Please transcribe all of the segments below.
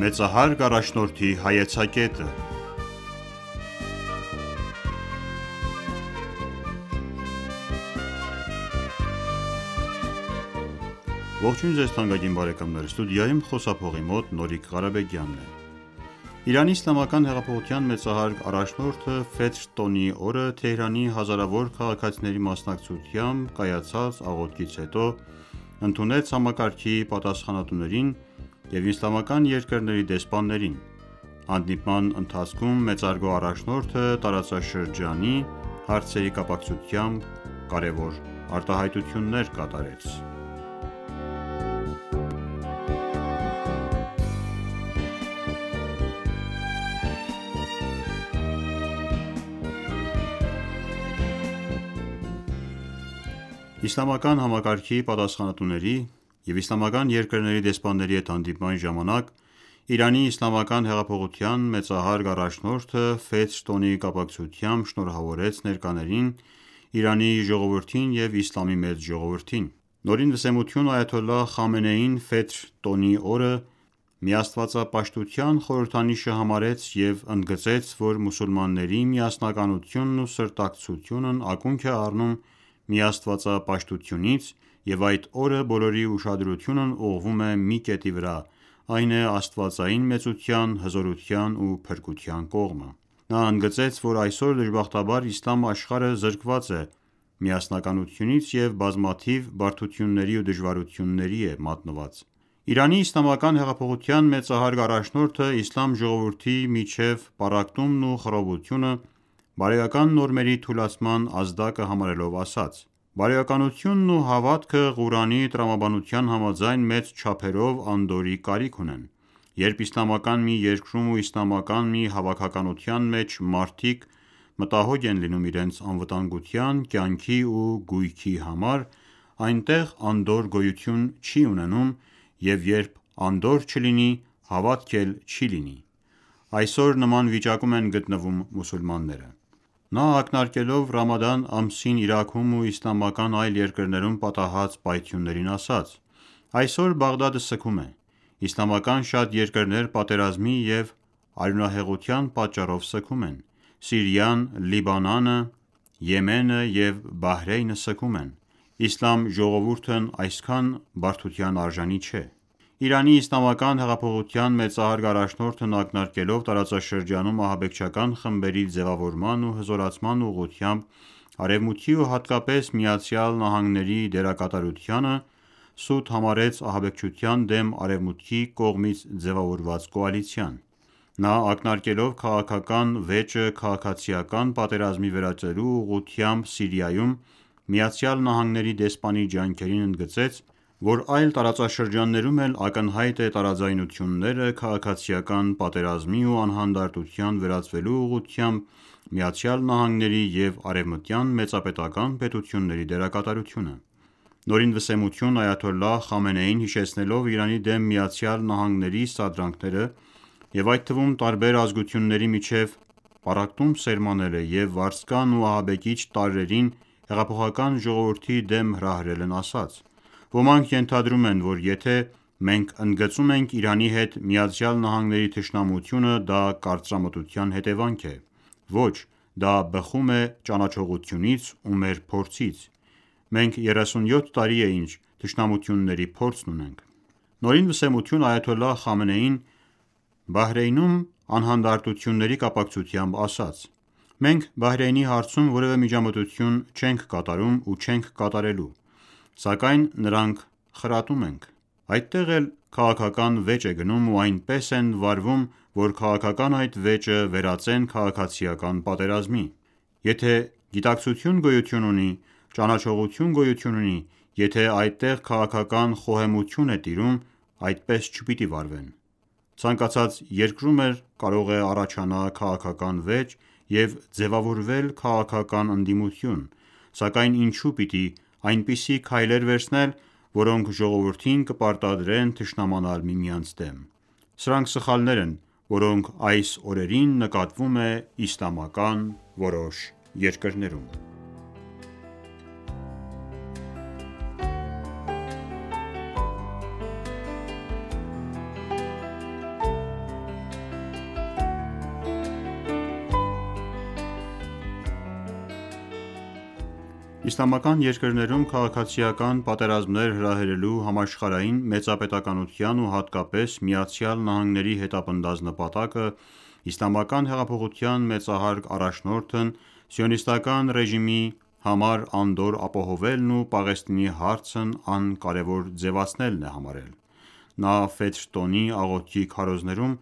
Մեծահարգ առաջնորդի հայեցակետը։ Ողջույն ձեզ թանկագին բարեկամներ, ստուդիայում խոսափողի մոտ Նորիկ Ղարաբեգյանն է։ Իրանի իսլամական հեղափոխության մեծահարգ առաջնորդը Ֆեթր տոնի օրը Թեհրանի հազարավոր քաղաքացիների մասնակցությամբ կայացած աղոթքից հետո ընդունեց համակարգի պատասխանատուներին և իսլամական երկրների դեսպաններին։ Հանդիպման ընթացքում մեծարգո առաջնորդը տարածաշրջանի հարցերի կապակցությամբ կարևոր արտահայտություններ կատարեց։ Իսլամական համակարգի պատասխանատուների և իսլամական երկրների դեսպանների հետ հանդիպման ժամանակ Իրանի իսլամական հեղափոխության մեծահարգ առաջնորդը Ֆեթր տոնի կապակցությամբ շնորհավորեց ներկաներին, Իրանի ժողովրդին և իսլամի մեծ ժողովրդին։ Նորին վսեմություն Այաթոլլահ Խամենեին Ֆեթր տոնի օրը միաստվածապաշտության խորհրդանիշը համարեց և ընդգծեց, որ մուսուլմանների միասնականությունն ու սրտակցությունն ակունք է առնում միաստվածապաշտությունից և այդ օրը բոլորի ուշադրությունն ուղղվում է մի կետի վրա, այն է աստվածային մեծության, հզորության ու փրկության կողմը։ Նա ընդգծեց, որ այսօր դժբախտաբար իսլամ աշխարհը զրկված է միասնականությունից և բազմաթիվ բարդությունների ու դժվարությունների է մատնված։ Իրանի իսլամական հեղափոխության մեծահարգ առաջնորդը իսլամ ժողովրդի միջև պառակտումն ու խռովությունը բարոյական նորմերի թուլացման ազդակը համարելով ասաց. «Բարոյականությունն ու հավատքը Ղուրանի տրամաբանության համաձայն մեծ չափերով անդորրի կարիք ունեն։ Երբ իսլամական մի երկրում ու իսլամական մի հավաքականության մեջ մարդիկ մտահոգ են լինում իրենց անվտանգության, կյանքի ու գույքի համար, այնտեղ անդորր գոյություն չի ունենում և երբ անդորր չլինի, հավատք էլ չի լինի։ Այսօր նման վիճակում են գտնվում մուսուլմանները»։ Նա ակնարկելով Ռամադան ամսին Իրաքում ու իսլամական այլ երկրներում պատահած պայթյուններին ասաց. «Այսօր Բաղդադը սգում է։ Իսլամական շատ երկրներ պատերազմի և արյունահեղության պատճառով սգում են։ Սիրիան, Լիբանանը, Եմենը և Բահրեյնը սգում են։ Իսլամ ժողովուրդն այսքան բարդության արժանի չէ»։ Իրանի իսլամական հեղափոխության մեծահարգ առաջնորդն ակնարկելով տարածաշրջանում ահաբեկչական խմբերի ձևավորման ու հզորացման ուղղությամբ Արևմուտքի ու հատկապես ԱՄՆ-ի դերակատարությանը, սուտ համարեց ահաբեկչության դեմ Արևմուտքի կողմից ձևավորված կոալիցիան։ Նա ակնարկելով քաղաքական վեճը քաղաքացիական պատերազմի վերածելու ուղղությամբ Սիրիայում ԱՄՆ-ի դեսպանի ջանքերին ընդգծեց, որ այլ տարածաշրջաններում էլ ակնհայտ է տարաձայնությունները քաղաքացիական պատերազմի ու անհանդարտության վերածվելու ուղղությամբ ԱՄՆ-ի և արևմտյան մեծապետական պետությունների դերակատարությունը։ Նորին վսեմություն Այաթոլլահ Խամենեին հիշեցնելով Իրանի դեմ ԱՄՆ-ի սադրանքները և այդ թվում տարբեր ազգությունների միջև պառակտում սերմանելը և վարձկան ու ահաբեկիչ տարրերին հեղափոխական ժողովրդի դեմ հրահրելն ասաց. «Ոմանք ենթադրում են, որ եթե մենք ընդգծում ենք Իրանի հետ ԱՄՆ-ի թշնամությունը, դա կարծրամտության հետևանք է։ Ոչ, դա բխում է ճանաչողությունից ու մեր փորձից։ Մենք 37 տարի է ինչ թշնամությունների փորձն ունենք»։ Նորին վսեմություն Այաթոլլահ Խամենեին Բահրեյնում անհանդարտությունների կապակցությամբ ասաց. «Մենք Բահրեյնի հարցում որևէ միջամտություն չենք կատարում ու չենք կատարելու, սակայն նրանք խրատում ենք։ Այդտեղ էլ քաղաքական վեճ է գնում ու այնպես են վարվում, որ քաղաքական այդ վեճը վերածեն քաղաքացիական պատերազմի։ Եթե գիտակցություն գոյություն ունի, ճանաչողություն գոյություն ունի, եթե այդտեղ քաղաքական խոհեմություն է տիրում, այդպես չպիտի վարվեն։ Ցանկացած երկրում էլ կարող է առաջանա քաղաքական վեճ և ձևավորվել քաղաքական ընդդիմություն, սակայն ինչու պիտի այնպիսի քայլեր վերցնել, որոնք ժողովրդին կպարտադրեն թշնամանալ միմյանց դեմ։ Սրանք սխալներ են, որոնք այս օրերին նկատվում է իսլամական որոշ երկրներում»։ Իսլամական երկրներում քաղաքացիական պատերազմներ հրահրելու համաշխարհային մեծապետականության ու հատկապես ԱՄՆ-ի հետապնդած նպատակը իսլամական հեղափոխության մեծահարկ առաջնորդն սիոնիստական ռեժիմի համար անդորր ապահովելն ու Պաղեստինի հարցն անկարևոր ձևացնելն է համարել: Նա Ֆեթր տոնի աղոթքի քարոզներում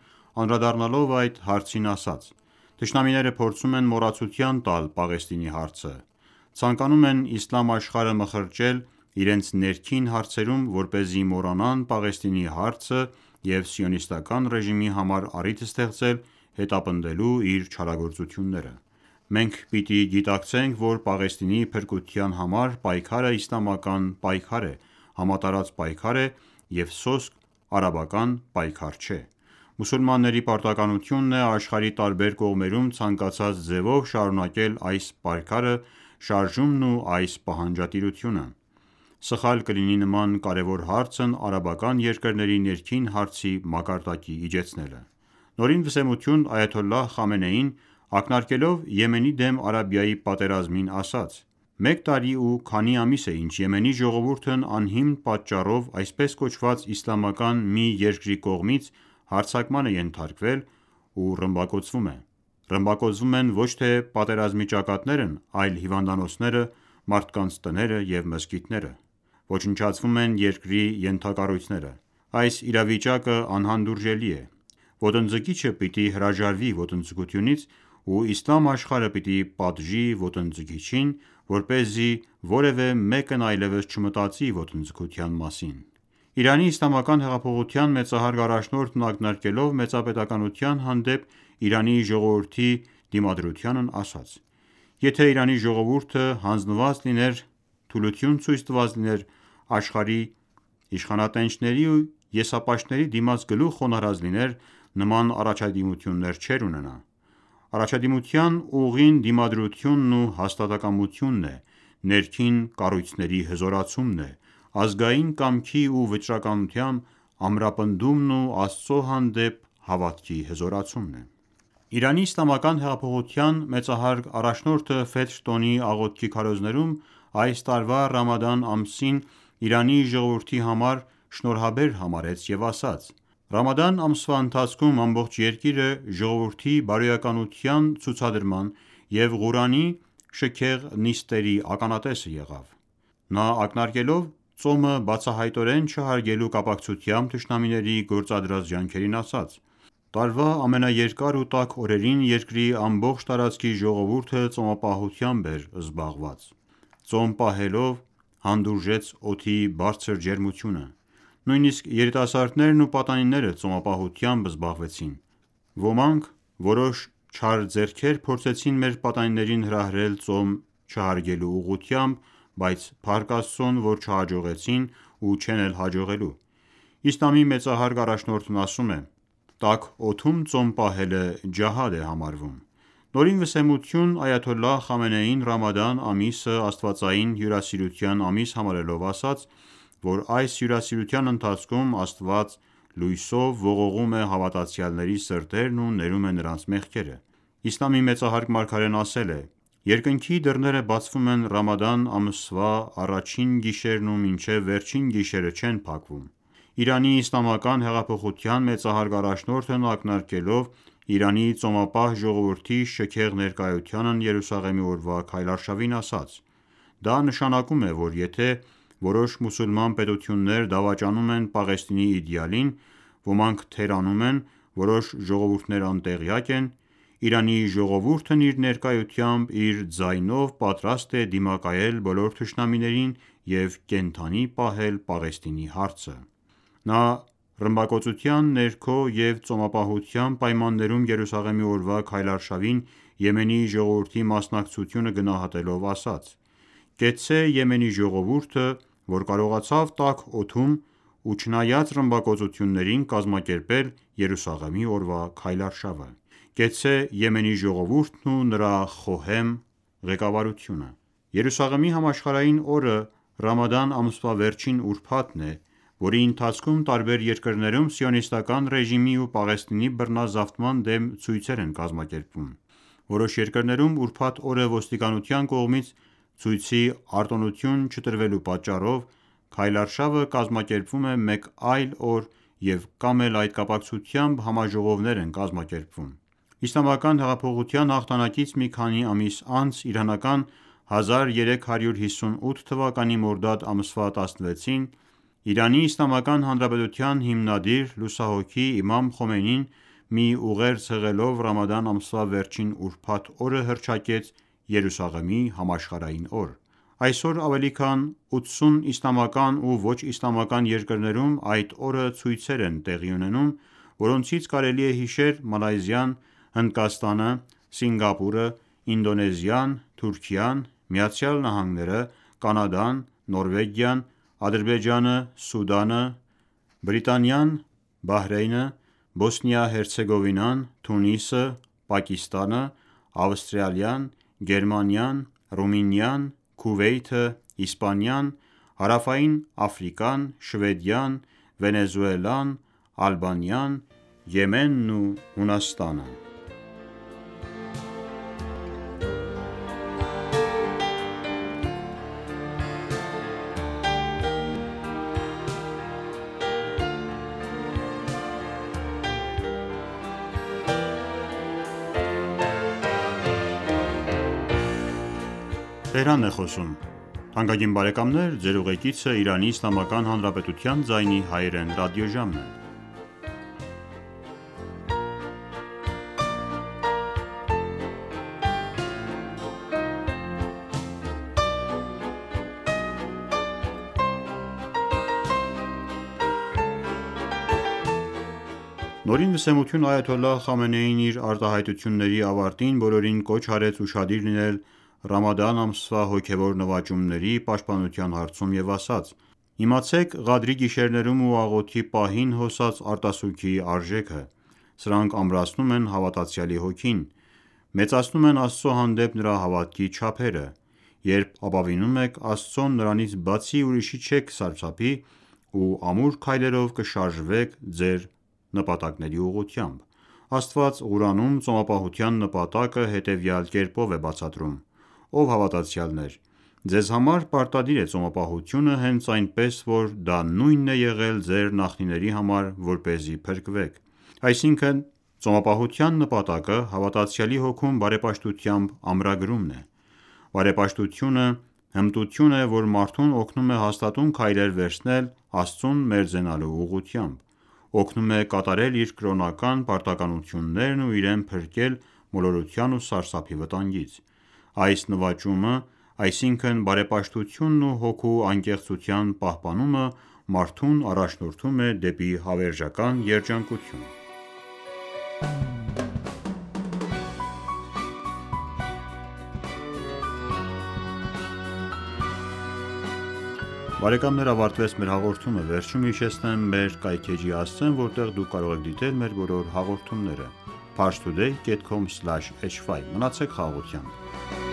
անդրադառնալով այդ հարցին ասաց.«Թշնամիները փորձում են մոռացության տալ Պաղեստինի հարցը, ցանկանում են իսլամ աշխարհը մխրճել իրենց ներքին հարցերում, որպեսզի մոռանան Պաղեստինի հարցը և սիոնիստական ռեժիմի համար առիթ ստեղծել հետապնդելու իր չարագործությունները: Մենք պիտի գիտակցենք, որ Պաղեստինի փրկության համար պայքարը իսլամական պայքար է, համատարած պայքար է և սոսկ արաբական պայքար չէ: Մուսուլմանների պարտականությունն է աշխարհի տարբեր կողմերում ցանկացած ձևով շարունակել այս պայքարը, շարժումն ու այս պահանջատիրությունը: Սխալ կլինի նման կարևոր հարցն արաբական երկրների ներքին հարցի մակարդակի իջեցնելը»: Նորին այաթոլլահ Խամենեին ակնարկելով Եմենի դեմ Արաբիայի պատերազմին ասաց.«Մեկ տարի ու քանի ամիս է ինչ Եմենի ժողովուրդն անհիմն պատճառով այսպես կոչված իսլամական մի երկրի կողմից հարձակման է ենթարկվել ու ռմբակոծվում է: Ռմբակոծվում են ոչ թե պատերազմի ճակատներն այլ հիվանդանոցները, մարդկանց տները և մզկիթները: Ոչնչացվում են երկրի ենթակառույցները: Այս իրավիճակը անհանդուրժելի է: Ոտնձգիչը պիտի հրաժարվի ոտնձգությունից ու իսլամ աշխարհը պիտի պատժի ոտնձգիչին, որպեսզի որևէ մեկն այլևս չմտածի ոտնձգության մասին»: Իրանի իսլամական հեղափոխության մեծահարգ առաջնորդն ակնարկելով մեծապետականության հանդեպ Իրանի ժողովրդի դիմադրությանն ասաց.«Եթե Իրանի ժողովուրդը հանձնված լիներ, թուլություն ցույց տված լիներ աշխարհի իշխանատենչների ու եսապաշտների դիմաց գլուխ խոնարհած լիներ, նման առաջադիմություններ չէր ունենա: Առաջադիմության ուղին դիմադրությունն ու հաստատակամությունն է, ներքին կառույցների հզորացումն է, ազգային կամքի ու վճռականության ամրապնդումն ու Աստծո հանդեպ հավատքի հզորացումն է»: Իրանի իսլամական հեղափոխության մեծահարգ առաջնորդը Ֆեթր տոնի աղոթքի քարոզներում այս տարվա Ռամադան ամսին Իրանի ժողովրդի համար շնորհաբեր համարեց և ասաց.«Ռամադան ամսվա ընթացքում ամբողջ երկիրը ժողովրդի բարոյականության ցուցադրման և Ղուրանի շքեղ նիստերի ականատեսը եղավ»: Նա ակնարկելով ծոմը բացահայտորեն չհարգելու կապակցությամբ թշնամիների գործադրած ջանքերին ասաց.«Տարվա ամենաերկար ու տաք օրերին երկրի ամբողջ տարածքի ժողովուրդը ծոմապահությամբ էր զբաղված: Ծոմ պահելով հանդուրժեց օդի բարձր ջերմությունը: Նույնիսկ երիտասարդներն ու պատանիները ծոմապահությամբ զբաղվեցին: Ոմանք որոշ չար ձեռքեր փորձեցին մեր պատանիներին հրահրել ծոմ չհարգելու ուղղությամբ, բայց փառք Աստծուն, որ չհաջողեցին ու չեն էլ հաջողելու: Իսլամի մեծահարգ առաջնորդն ասում է.«Տաք օդում ծոմ պահելը ջահադ է համարվում»: Նորին այաթոլլահ Խամենեին Ռամադան ամիսը աստվածային հյուրասիրության ամիս համարելով ասաց, որ այս հյուրասիրության ընթացքում Աստված լույսով ողողում է հավատացյալների սրտերն ու ներում է նրանց մեղքերը: Իսլամի մեծահարգ մարգարեն ասել է.«Երկնքի դռները բացվում են Ռամադան ամսվա առաջին գիշերն ու մինչև վերջին գիշերը չեն փակվում»: Իրանի իսլամական հեղափոխության մեծահարգ առաջնորդն ակնարկելով Իրանի ծոմապահ ժողովրդի շքեղ ներկայությանն Երուսաղեմի օրվա քայլարշավին ասաց.«Դա նշանակում է, որ եթե որոշ մուսուլման պետություններ դավաճանում են Պաղեստինի իդեալին, ոմանք թերանում են, որոշ ժողովուրդներ անտեղյակ են, Իրանի ժողովուրդն իր ներկայությամբ, իր ձայնով պատրաստ է դիմակայել բոլոր թշնամիներին և կենդանի պահել Պաղեստինի հարցը»: Նա ռմբակոծության ներքո և ծոմապահության պայմաններում Երուսաղեմի օրվա քայլարշավին Եմենի ժողովրդի մասնակցությունը գնահատելով ասաց.«Կեցցե Եմենի ժողովուրդը, որ կարողացավ տաք օդում ու չնայած ռմբակոծություններին կազմակերպել Երուսաղեմի օրվա քայլարշավը: Կեցցե Եմենի ժողովուրդն ու նրա խոհեմ ղեկավարությունը»: Երուսաղեմի համաշխարհային օրը Ռամադան ամսվա վերջին ուրբաթն է, որի ընթացքում տարբեր երկրներում սիոնիստական ռեժիմի ու Պաղեստինի բռնազավթման դեմ ցույցեր են կազմակերպվում: Որոշ երկրներում ուրբաթ օրը ոստիկանության կողմից Ցույցի արտոնություն չտրվելու պատճառով քայլարշավը կազմակերպվում է մեկ այլ օր և կամ էլ այդ կապակցությամբ համաժողովներ են կազմակերպվում։ Իսլամական հեղափոխության հաղթանակից մի քանի ամիս անց իրանական 1358 թվականի մորդադ ամսվա 16-ին ԻԻՀ հիմնադիր լուսահոգի իմամ Խոմեյնին մի ուղերձ հղելով ռամադան ամսվա վերջին ուրբաթ օրը հռչակեց Երուսաղեմի համաշխարհային օր։ Այսօր ավելի քան 80 իսլամական ու ոչ իսլամական երկրներում այդ օրը ցույցեր են տեղի ունենում, որոնցից կարելի է հիշել Մալայզիան, Հնդկաստանը, Սինգապուրը, Ինդոնեզիան, Թուրքիան, ԱՄՆ-ը, Կանադան, Նորվեգիան, Ադրբեջանը, Սուդանը, Բրիտանիան, Բահրեյնը, Բոսնիա-Հերցեգովինան, Թունիսը, Պակիստանը, Ավստրալիան, Գերմանիան, Ռումինիան, Քուվեյթը, Իսպանիան, Հարավային Աֆրիկան, Շվեդիան, Վենեսուելան, Ալբանիան, Եմենն ու Հունաստանը։ Նորին վսեմություն Այաթոլլահ Խամենեին իր արտահայտությունների ավարտին բոլորին կոչ արեց ուշադիր լինել ռամադան ամսվա հոգևոր նվաճումների պաշտպանության հարցում և ասաց. «Իմացեք Ղադրի գիշերներում ու աղոթքի պահին հոսած արտասուքի արժեքը: Սրանք ամրացնում են հավատացյալի հոգին, մեծացնում են Աստծո հանդեպ նրա հավատքի չափերը: Երբ ապավինում եք Աստծուն, նրանից բացի ուրիշի չեք սարսափի ու ամուր քայլերով կշարժվեք ձեր նպատակների ուղղությամբ»: Աստված Ղուրանում ծոմապահության նպատակը հետևյալ կերպով է բացատրում. «Ով հավատացյալներ, ձեզ համար պարտադիր է ծոմապահությունը հենց այնպես որ դա նույնն է եղել ձեր նախնիների համար որպեսզի փրկվեք»: Այսինքն ծոմապահության նպատակը հավատացյալի հոգում բարեպաշտությամբ ամրագրումն է: Բարեպաշտությունը հմտություն է, որ մարդուն օգնում է հաստատուն քայլեր վերցնել Աստծուն մերձենալու ուղղությամբ: Օգնում է կատարել իր կրոնական պարտականություններն ու իրեն փրկել մոլորության ու սարսափի վտանգից: Այս նվաճումը, այսինքն բարեպաշտությունն ու հոգու անկեղծության պահպանումը մարդուն առաջնորդում է դեպի հավերժական երջանկություն: Բարեկամներ ավարտվեց մեր հաղորդումը, վերջում հիշեցնեմ մեր կայքէջի հասցեն, որտեղ դուք կարող եք դիտել մեր բոլոր հաղորդումները: Parstoday.com/hy Մնացեք խաղաղությամբ: